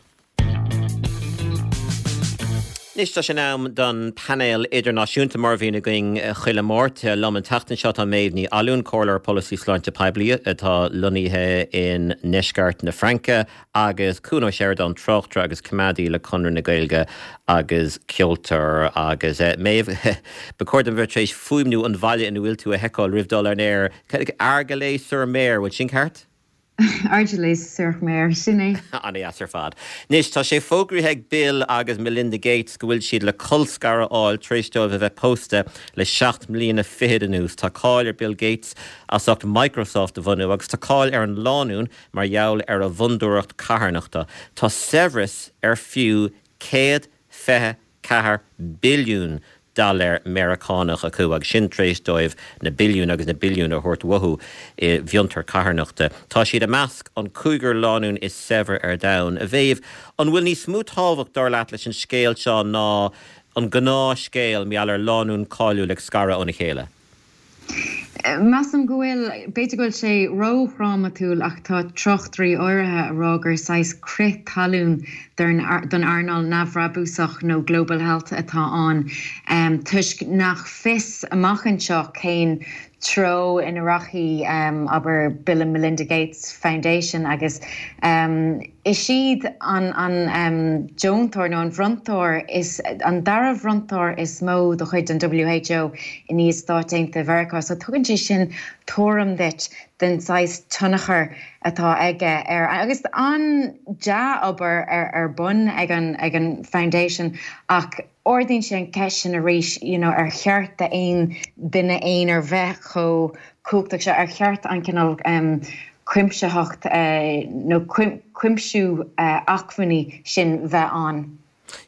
Anois tá sé in am don painéal idirnáisiúnta mar a bhíonn againn chuile Máirt. Liom an tseachtain seo tá Méabh Ní Fhallúin, Comhairleoir Polasaí Sláinte Poiblí atá lonnaithe i ndeisceart na Fraince agus Cuan Ó Seireadáin, tráchtaire agus coimeádaí le Conradh na Gaeilge agus ceoltóir agus Méabh, ba chóir dom bheith tar éis fuaimniú an bhaile ina bhfuil tú a sheiceáil roimh dul ar an aer. Argelès-sur-Mer, bhfuil sin ceart? Argelès-sur-Mer, sin é. An-deas ar fad. Anois tá sé fógraithe ag Bill agus Melinda Gates go bhfuil siad le colscaradh a fháil tar éis dóibh a bheith pósta le seacht mbliana fichead anuas. Tá cáil ar Bill Gates as ucht Microsoft a bhunú agus tá cáil ar an lánúin mar gheall ar a bhfondúireacht carthanachta. Tá saibhreas ar fiú céad fiche ceathair billiún dollar Meiriceánach acu agus sin tar éis dóibh na billiúin agus na billiúin a thabhairt uathu i bhfiontar carthanachta. Tá siad i measc an cúigear lánúin is saibhre ar domhan. A Mhéabh, an bhfuil níos mó tábhacht dar leat leis an scéal seo ná an gnáthscéal mar gheall ar lánúin cáiliúil ag scaradh óna chéile? Measaim go bhfuil, b'fhéidir go bhfuil sé ródhrámatúil ach tá tráchtairí áirithe a rá gur saghas crith talún don earnáil neamhbhrabúsach nó global health atá ann toisc nach fios amach anseo cén treo ina rachaidh, abair, Bill and Melinda Gates Foundation agus is iad an an deontóir nó an bhronntóir is an dara bhronntóir is mó de chuid an WHO i ndiaidh Stáit Aontaithe Mheiriceá so tugann sé sin tuairim duit den saghas tionchar atá aige ar agus an-dea-obair ar ar bun ag an ag an foundation ach ardaíonn sé an cheist sin arís you know ar cheart d'aon duine aonair bheith chomh cumhachtach seo ar cheart an cineál um, cuimsitheacht uh, nó cuimsiú uh, acmhainní sin bheith ann.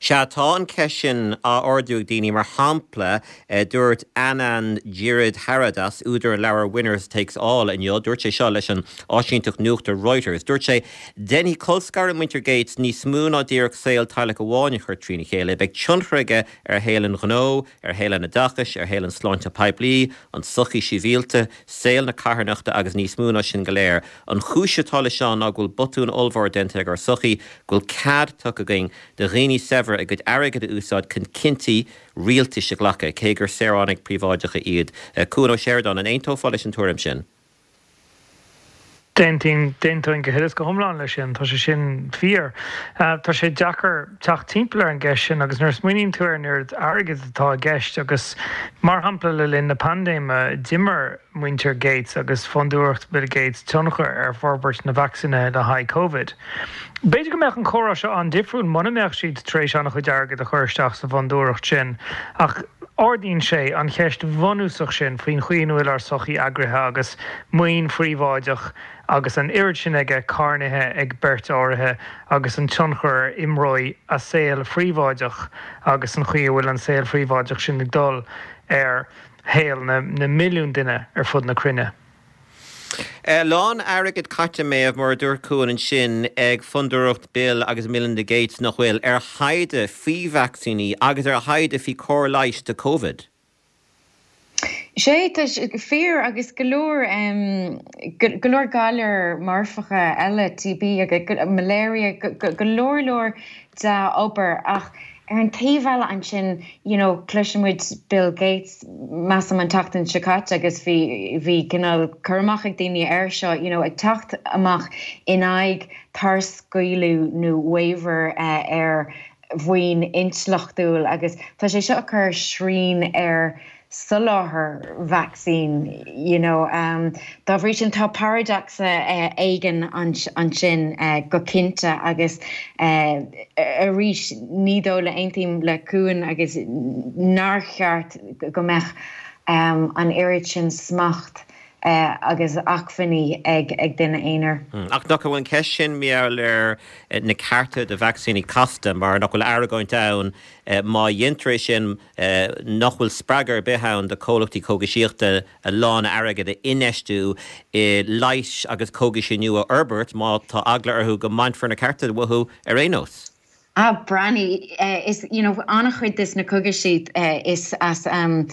Sea, tá an cheist sin á ardú ag daoine, mar shampla, dúirt Anand Giridharadas, údar an leabhair Winners Takes All inniu, dúirt sé seo leis an áisínteacht nuachta Reuters, dúirt sé, Déanfaidh colscaradh muintir Gates níos mó ná díreach saol teaghlach amháin a chur trína chéile, beidh tionchar aige ar shaol an ghnó, ar shaol an oideachais, ar shaol an sláinte poiblí, an tsochaí shibhialta, saol na carthanachta agus níos mó ná sin go léir. An chúis atá leis seo ná go bhfuil botún ollmhór déanta ag ár sochaí, go bhfuil cead tugtha againn do dhaoine saibhre a gcuid airgid a úsáid chun cinntí rialtais a ghlacadh, cé gur saoránaigh príobháideacha iad. Cuan Ó Seireadáin, an aontófá leis an tuairim sin? D'aontóinn, d'aontóinn go huile is go hiomlán leis sin, tá sé sin fíor. Tá sé deacair teacht timpeall ar an gceist sin agus nuair a smaoiníonn tú ar an oiread airgid atá i gceist agus mar shampla le linn na paindéime d'imir muintir Gates agus Fondúireacht Bill Gates tionchar ar forbairt na vacsaíne le haghaidh Covid. B'fhéidir go mbeadh an comhrá seo an-difriúil muna mbeadh siad tar éis an-chuid airgid a chur isteach sa bhfondúireacht sin ach ardaíonn sé an cheist bhunúsach sin faoin chaoi ina bhfuil ár sochaí eagraithe agus maoin phríobháideach agus an oiread sin aige carnaithe ag beirt áirithe agus an tionchar a imreoidh a saol phríobháideach agus an chaoi a bhfuil an saol phríobháideach sin ag dul ar shaol na milliún duine ar fud na cruinne. A lán airgid caite, Méabh, mar a dúirt Cuan ansin, ag Fondúireacht Bill agus Melinda Gates, nach bhfuil, ar thaighde faoi vacsaíní agus ar thaighde faoi chóir leighis do Covid. Sé, tá sé fíor agus go leor go leor galar marfacha eile, TB agus malaria, go leor leor dea-obair ach ar an taobh eile ansin you know cloiseann muid Bill Gates measaim an tseachtain seo caite agus bhí bhí cineál cur amach ag daoine air seo you know ag teacht amach in aghaidh tarscaoileadh nó waiver uh, ar mhaoin intleachtúil agus tá sé seo ag cur srian ar soláthar vacsaín you know um, dá bhrí sin tá paradacsa uh, éigin ansin uh, go cinnte agus uh, arís ní dóigh le aontaím le Cuan agus nár cheart go mbeadh um, an oiread sin smacht uh, agus acmhainní ag ag duine aonair. Mm. Ach nach bhfuil an ceist sin mar gheall ar na cearta do vacsaíní casta mar nach bhfuil argóint ann má dhéantar é sin nach bhfuil spreagadh ar bith ann do chomhlachtaí cógaisíochta a lán airgid a infheistiú i leighis agus cógaisí nua a fhorbairt má tá eagla orthu go mbainfear na cearta uathu ar aon nós. Ah Breathnaigh, is you know an-chuid des na cogaisí is as um,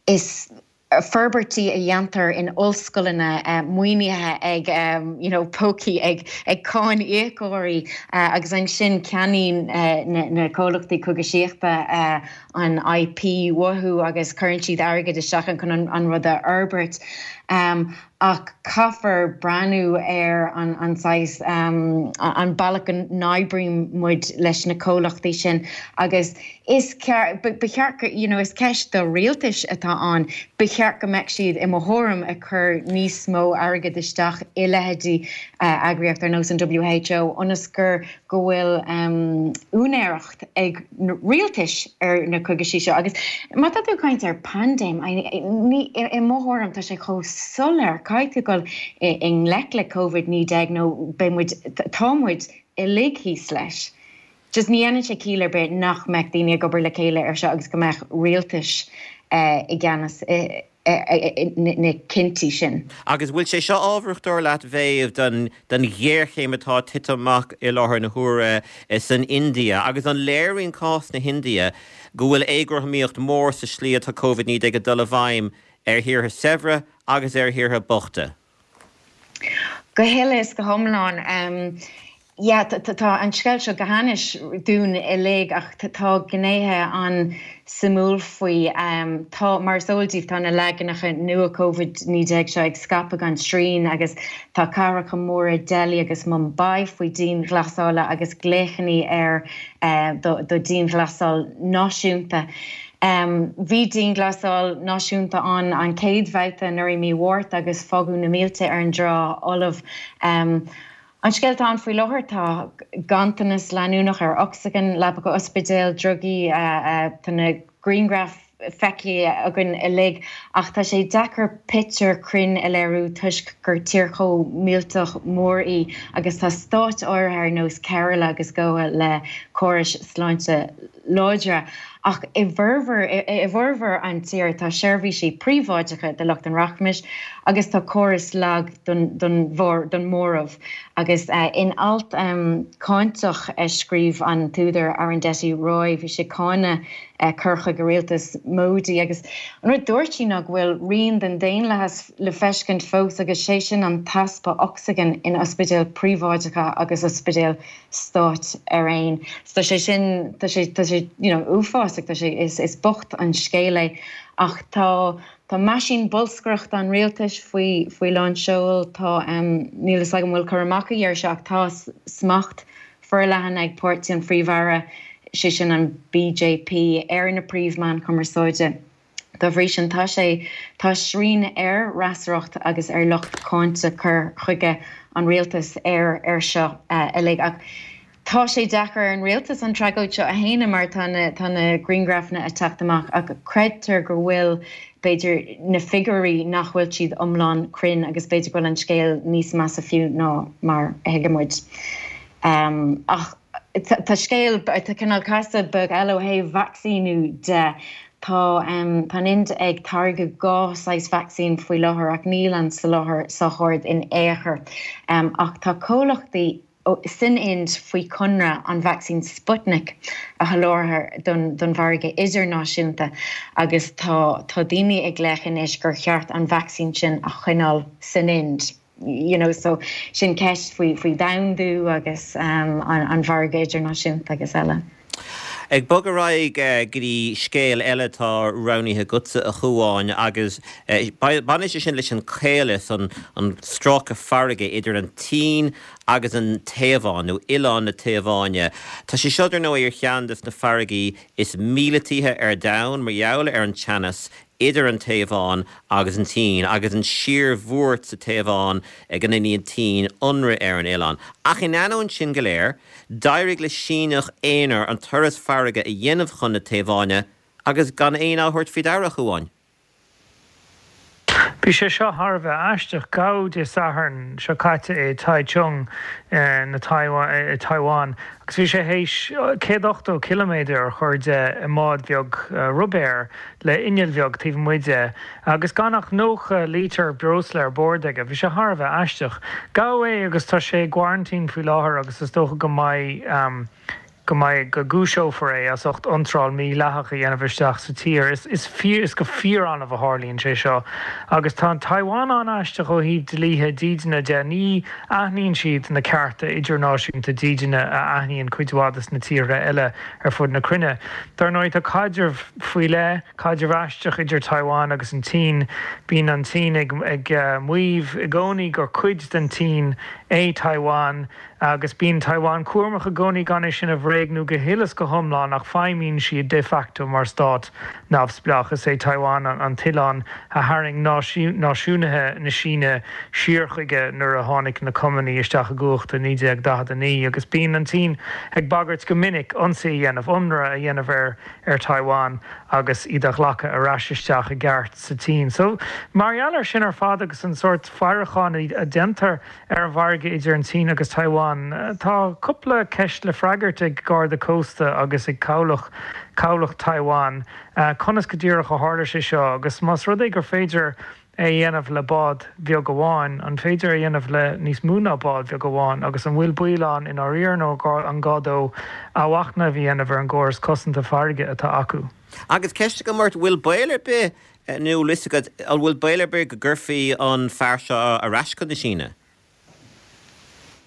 is forbairtí a dhéantar in ollscoileanna maoinithe ag you know pócaí ag ag cáiníocóirí agus ansin ceannaíonn na comhlachtaí cogaisíochta an IP uathu agus cuireann siad airgead isteach chun an rud a fhorbairt. Ach caithfear breathnú ar an an saghas an bealach go n-oibríonn muid leis na comhlachtaí sin agus is ba cheart you know is ceist do rialtais atá ann, ba cheart go mbeadh siad i mo thuairim ag cur níos mó airgead isteach i leithéidí eagraíocht ar nós an WHO ionas gur go bhfuil úinéireacht ag na rialtais ar na cogaisí seo agus má tá tú ag caint ar paindéim i mo thuairim tá sé chomh soiléir caithfidh tú dul i ngleic le Covid naoi déag nó beidh muid tá muid uilig thíos leis. Just ní dhéanann sé ciall ar bith nach mbeadh daoine ag obair le chéile ar seo agus go mbeadh rialtais i gceannas na cinntí sin. Agus bhfuil sé seo ábharach dar leat Mhéabh don don ghéarchéim atá ag titim amach i láthair na huaire san India agus an léiríonn cás na hIndia go bhfuil éagothromaíocht mhór sa slí atá Covid naoi déag ag dul i bhfeidhm ar thíortha saibhre agus ar thíortha bochta? Go huile is go hiomlán. Yeah, tá an scéal seo go hainnis dúinn uilig ach tá gnéithe an-suimiúil faoi. Tá, mar is eol daoibh, tá na leaganacha nua Covid naoi déag seo ag scaipeadh gan srian agus tá cathracha móra Delhi agus Mumbai faoi dianghlasála agus glaochanna ar do dianghlasáil náisiúnta. Bhí dianghlasáil náisiúnta ann an chéad bhabhta anuraidh mí Mhárta agus fágadh na mílte ar an dtrá fholamh. An scéal atá ann faoi láthair, tá ganntanas leanúnach ar ocsaigin, leapacha ospidéil, drugaí, tá na grianghraif feicthe againn uilig ach tá sé deacair pictiúr cruinn a léiriú toisc gur tír chomh millteach mór í agus tá stáit áirithe ar nós Kerala agus Goa le córais sláinte láidre. Ach i bhformhór i bhformhór an tír tá seirbhísí príobháideacha do lucht an rachmais agus tá córas lag don don don móramh. Agus in alt cáinteach a scríobh an t-údar Arundhati Roy bhí sí ag cáineadh cur chuige rialtas Modi agus an rud dúirt sí ná go bhfuil rian den daonlathas le feiscint fós agus sé sin an t-easpa ocsaigin in ospidéil príobháideacha agus ospidéil stáit araon. So tá sé sin tá sé tá sé you know uafásach tá sé is is bocht an scéal é ach tá tá meaisín bolscaireachta an rialtais faoi faoi lán seoil tá um, níl a fhios agam an bhfuil cur amach agaibh air seo ach tá smacht forleathan ag páirtí an phríomh-aire sé sin an BJP ar na príomhmheáin chumarsáide. Dá bhrí sin tá sé tá srian ar fhreasúracht agus ar lucht cáinte cur chuige an rialtais ar ar seo uilig. Ach tá sé deacair ar an rialtas an tragóid seo a shéanadh mar tá na tá na grianghrafanna ag teacht amach ach creidtear go bhfuil b'fhéidir na figiúirí nach bhfuil siad iomlán cruinn agus b'fhéidir go bhfuil an scéal níos measa fiú ná mar a thuigeann muid. Um, ach tá scéal tá cineál casadh beag eile ó thaobh vacsaíniú de. Tá um, tá an Ind ag táirgeadh dhá saghas vacsaín faoi láthair ach níl an soláthar sách ard in aon chor. Um, ach tá comhlachtaí san Ind faoi chonradh an vacsaín Sputnik a sholáthar don, don mhargadh idirnáisiúnta agus tá tá daoine ag glaoch anois gur cheart an vacsaín sin a choinneáil san Ind. You know, so sin ceist faoi faoi domhandú agus um, an, an mhargadh idirnáisiúnta agus eile. Ag bogadh ar aghaidh go dtí scéal eile atá roghnaithe agatsa a Chuáin agus baineann sé sin leis an caolas an an stráice farraige idir an tSín agus an Téaváin nó oileán na Téaváine. Tá sé seo ar ndóigh ar cheann de na farraigí is míleataithe ar domhan mar gheall ar an teannas idir an Téaváin agus an tSín agus an síorbhuairt sa Téaváin go ndéanann an tSín ionradh ar an oileán. Ach in ainneoin sin go léir, d'éirigh le Síneach aonair an turas farraige a dhéanamh chun na Téaváine agus gan éinne á thabhairt faoi deara a Chuáin. Bhí sé seo thar a bheith aisteach. Gabhadh Dé Sathairn seo caite i Taichung na Taiwan agus bhí sé théis céad ochtó ciliméadar a chur de i mbád bheag ruibéir le inneall bheag taobh amuigh de agus gan ach nócha lítear breosla ar bord aige. Bhí sé thar a bheith aisteach. Gabhadh é agus tá sé i gcoraintín faoi láthair agus is dócha go mbeidh go mbeidh go gcúiseofar é as ucht iontráil mhídhleathach a dhéanamh isteach sa tír. Is is fíor is go fíor-annamh a tharlaíonn sé seo agus tá an Taiwan an-aisteach ó thaobh dlíthe dídine de. Ní aithníonn siad na cearta idirnáisiúnta dídine a aithníonn cuid mhaith des na tíortha eile ar fud na cruinne. Dar ndóigh tá caidreamh faoi leith, caidreamh aisteach idir Taiwan agus an tSín. Bíonn an tSín ag ag maíomh i gcónaí gur cuid den tSín é Taiwan. Agus bíonn Taiwan cúramach i gcónaí gan é sin a bhréagnú go huile is go hiomlán, ach feidhmíonn siad de facto mar stát neamhspleách. Is é Taiwan an t-oileán a tharraing náisiúnaithe na Síne siar chuige nuair a tháinig na Cumannaigh isteach i gcumhacht i naoi déag daichead a naoi, agus bíonn an tSín ag bagairt go minic ionsaí a dhéanamh, ionradh a dhéanamh ar ar Taiwan agus iad a ghlacadh ar ais isteach i gceart sa tSín. So, mar gheall air sin ar fad agus an sórt faireacháin a déantar ar an bhfarraige idir an tSín agus Taiwan, tá cúpla ceist le freagairt ag Garda Cósta agus ag cabhlach cabhlach Taiwan. Conas go díreach a tharla sé seo agus más rud é gur féidir é a dhéanamh le bád bheag amháin, an féidir é a dhéanamh le níos mó ná bád bheag amháin agus an bhfuil baol ann i ndáiríre nó an gá dó athmhachnamh a dhéanamh ar an gcóras cosanta farraige atá acu? Agus ceist agam ort, bhfuil baol ar bith, nó an bhfuil fhios agat, an bhfuil baol ar bith go gcuirfí an fear seo ar ais chun na Síne?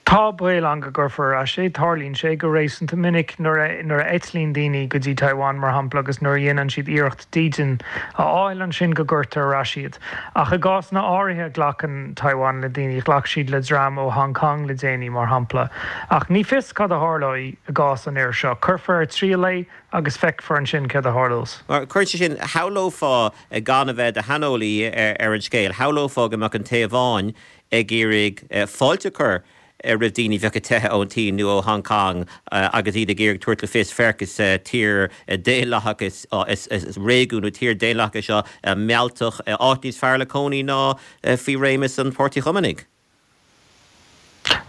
Tá baol ann go gcuirfear ar ais é. Tarlaíonn sé go réasúnta minic nuair a nuair a eitlíonn daoine go dtí Taiwan, mar shampla, agus nuair a dhéanann siad iarracht dídean a fháil ansin go gcuirtear ar ais iad. Ach i gcásanna áirithe glacann Taiwan le daoine. Ghlac siad le dream ó Hong Kong le déanaí, mar shampla. Ach ní fios cad a tharlóidh i gcás an fhir seo. Cuirfear ar triail é agus feicfear ansin céard a tharlós. Mar cuireann sé sin, shamhlófá, gan a bheith i do shaineolaí ar an scéal, shamhlófá go mbeadh an Téaváin ag iarraidh fáilte a chur roimh daoine a bheadh ag teitheadh ón tSín nó ó Hong Kong agus iad ag iarraidh tabhairt le fios, féach, is tír daonlathach, is réigiún nó tír daonlathach é seo, mealltach, áit níos fearr le cónaí ná faoi réimeas an Pháirtí Chumannaigh.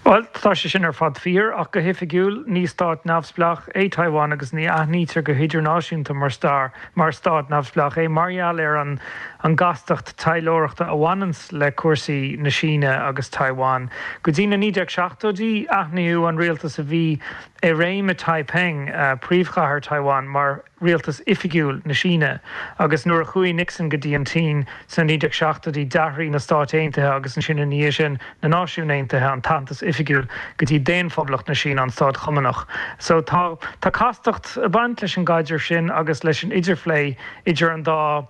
Bhuel, tá sé sin ar fad fíor, ach go hoifigiúil, ní stát neamhspleách é Taiwan agus ní aithnítear go hidirnáisiúnta mar mar stát neamhspleách é mar gheall ar an an gcastacht taidhleoireachta a bhaineanns le cúrsaí na Síne agus Taiwan. Go dtí na naoi déag seachtóidí, aithníodh an rialtas a bhí i réim i Taiping, príomhchathair Taiwan, mar rialtas oifigiúil na Síne, agus nuair a chuaigh Nixon go dtí an tSín sna naoi déag seachtóidí, d'athraigh na Stáit Aontaithe agus ansin ina dhiaidh sin na Náisiúin Aontaithe an t-aitheantas oifigiúil go dtí Daon-Phoblacht na Síne, an stát Chumannach. So tá tá castacht ag baint leis an gcaidreamh sin agus leis an idirphlé idir an dá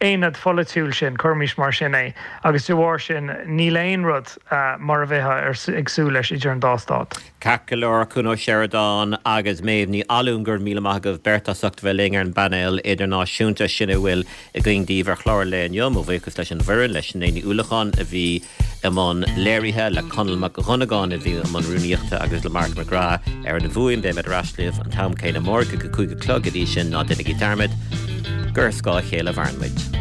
aonad pholaitiúil sin, cuirimis mar sin é, agus de bharr sin níl aon rud mar a bheifeá ag súil leis idir an dá stát. Ceart go leor, Cuan Ó Seireadáin agus Méabh Ní Fhallúin, go raibh míle maith agaibh beirt as ucht a bheith linn ar an bpainéal idirnáisiúnta. Sin a bhfuil againn daoibh ar chlár an lae inniu. Mo bhuíochas leis an bhfoireann, le Sinéad Ní Uallacháin a bhí i mbun léirithe, le Conall Mac Dhonnagáin a bhí i mbun rúnaíochta agus le Mark McGrath ar an bhfuaim. Beimid ar ais libh an t-am céanna amárach ag a cúig a chlog. Go dtí sin, ná déanaigí dearmad gur ar scáth a chéile a mhaireann muid.